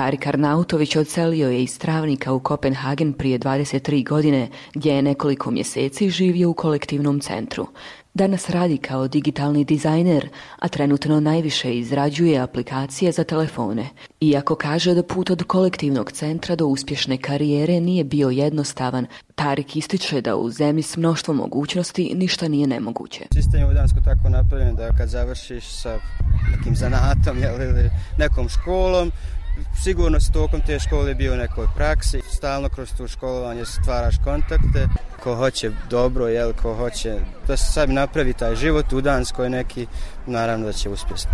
Tarik Arnautović odselio je iz Travnika u Kopenhagen prije 23 godine, gdje je nekoliko mjeseci živio u kolektivnom centru. Danas radi kao digitalni dizajner, a trenutno najviše izrađuje aplikacije za telefone. Iako kaže da put od kolektivnog centra do uspješne karijere nije bio jednostavan, Tarik ističe da u zemlji s mnoštvom mogućnosti ništa nije nemoguće. Sistem je u Danskoj tako napravljen da kad završiš sa nekim zanatom ili nekom školom, sigurno si tokom te škole bio u nekoj praksi, stalno kroz tu školovanje stvaraš kontakte, ko hoće dobro, ko hoće da se sad napravi taj život u Danskoj neki, naravno da će uspjeti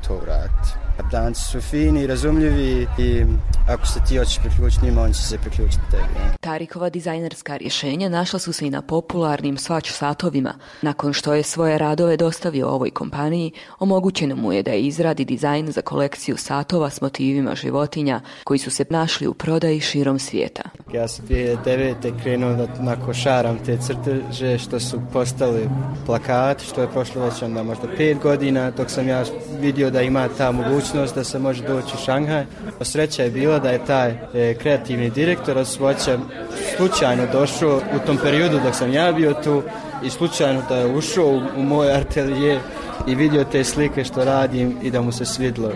to vratiti. Danci su fini, razumljivi i ako se ti hoćeš priključiti njima, on će se priključiti tebi. Tarikova dizajnerska rješenja našla su se i na popularnim Swatch satovima. Nakon što je svoje radove dostavio ovoj kompaniji, omogućeno mu je da izradi dizajn za kolekciju satova s motivima životinja koji su se našli u prodaji širom svijeta. Ja sam 2009. krenuo da košaram te crteže što su postali plakati, što je prošlo već onda možda 5 godina, dok sam ja vidio da ima ta mogućnost da se može doći u Šanghaj. Sreća je bila da je taj kreativni direktor od Swatcha slučajno došao u tom periodu dok sam ja bio tu i slučajno da je ušao u moj atelje i vidio te slike što radim i da mu se svidlo.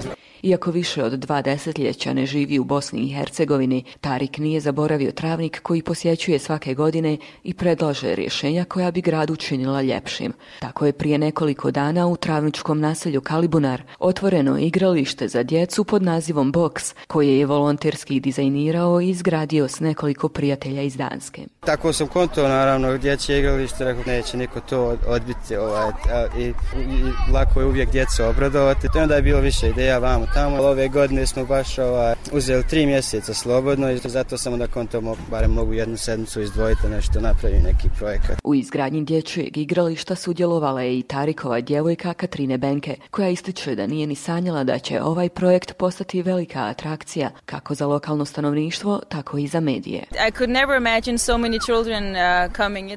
Iako više od 2 desetljeća ne živi u Bosni i Hercegovini, Tarik nije zaboravio Travnik koji posjećuje svake godine i predlaže rješenja koja bi grad učinila ljepšim. Tako je prije nekoliko dana u travničkom naselju Kalibunar otvoreno igralište za djecu pod nazivom Box, koje je volonterski dizajnirao i izgradio s nekoliko prijatelja iz Danske. Tako sam konto, naravno, dječje igralište, rekao neće niko to odbiti i lako je uvijek djecu obradovati. To je onda je bilo više ideja vamo tamo. Ove godine smo baš uzeli 3 mjeseca slobodno i zato sam onda konto barem mogu jednu sedmicu izdvojiti nešto, napravi neki projekat. U izgradnji dječjeg igrališta sudjelovala je i Tarikova djevojka Katrine Benke, koja ističe da nije ni sanjala da će ovaj projekt postati velika atrakcija kako za lokalno stanovništvo, tako i za medije.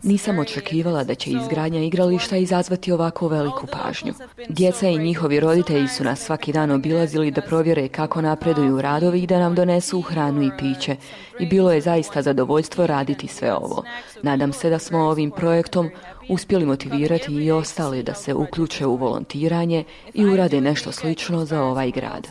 Nisam očekivala da će izgradnja igrališta izazvati ovako veliku pažnju. Djeca i njihovi roditelji su nas svaki dan obilazili da provjere kako napreduju radovi i da nam donesu hranu i piće. I bilo je zaista zadovoljstvo raditi sve ovo. Nadam se da smo ovim projektom uspjeli motivirati i ostale da se uključe u volontiranje i urade nešto slično za ovaj grad.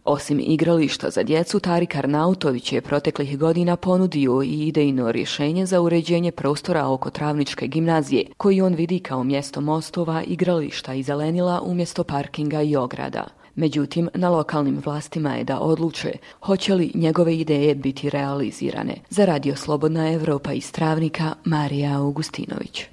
Osim igrališta za djecu, Tarik Arnautović je proteklih godina ponudio i idejno rješenje za uređenje prostora oko Travničke gimnazije, koji on vidi kao mjesto mostova, igrališta i zelenila umjesto parkinga i ograda. Međutim, na lokalnim vlastima je da odluče hoće li njegove ideje biti realizirane. Za Radio Slobodna Evropa iz Travnika, Marija Augustinović.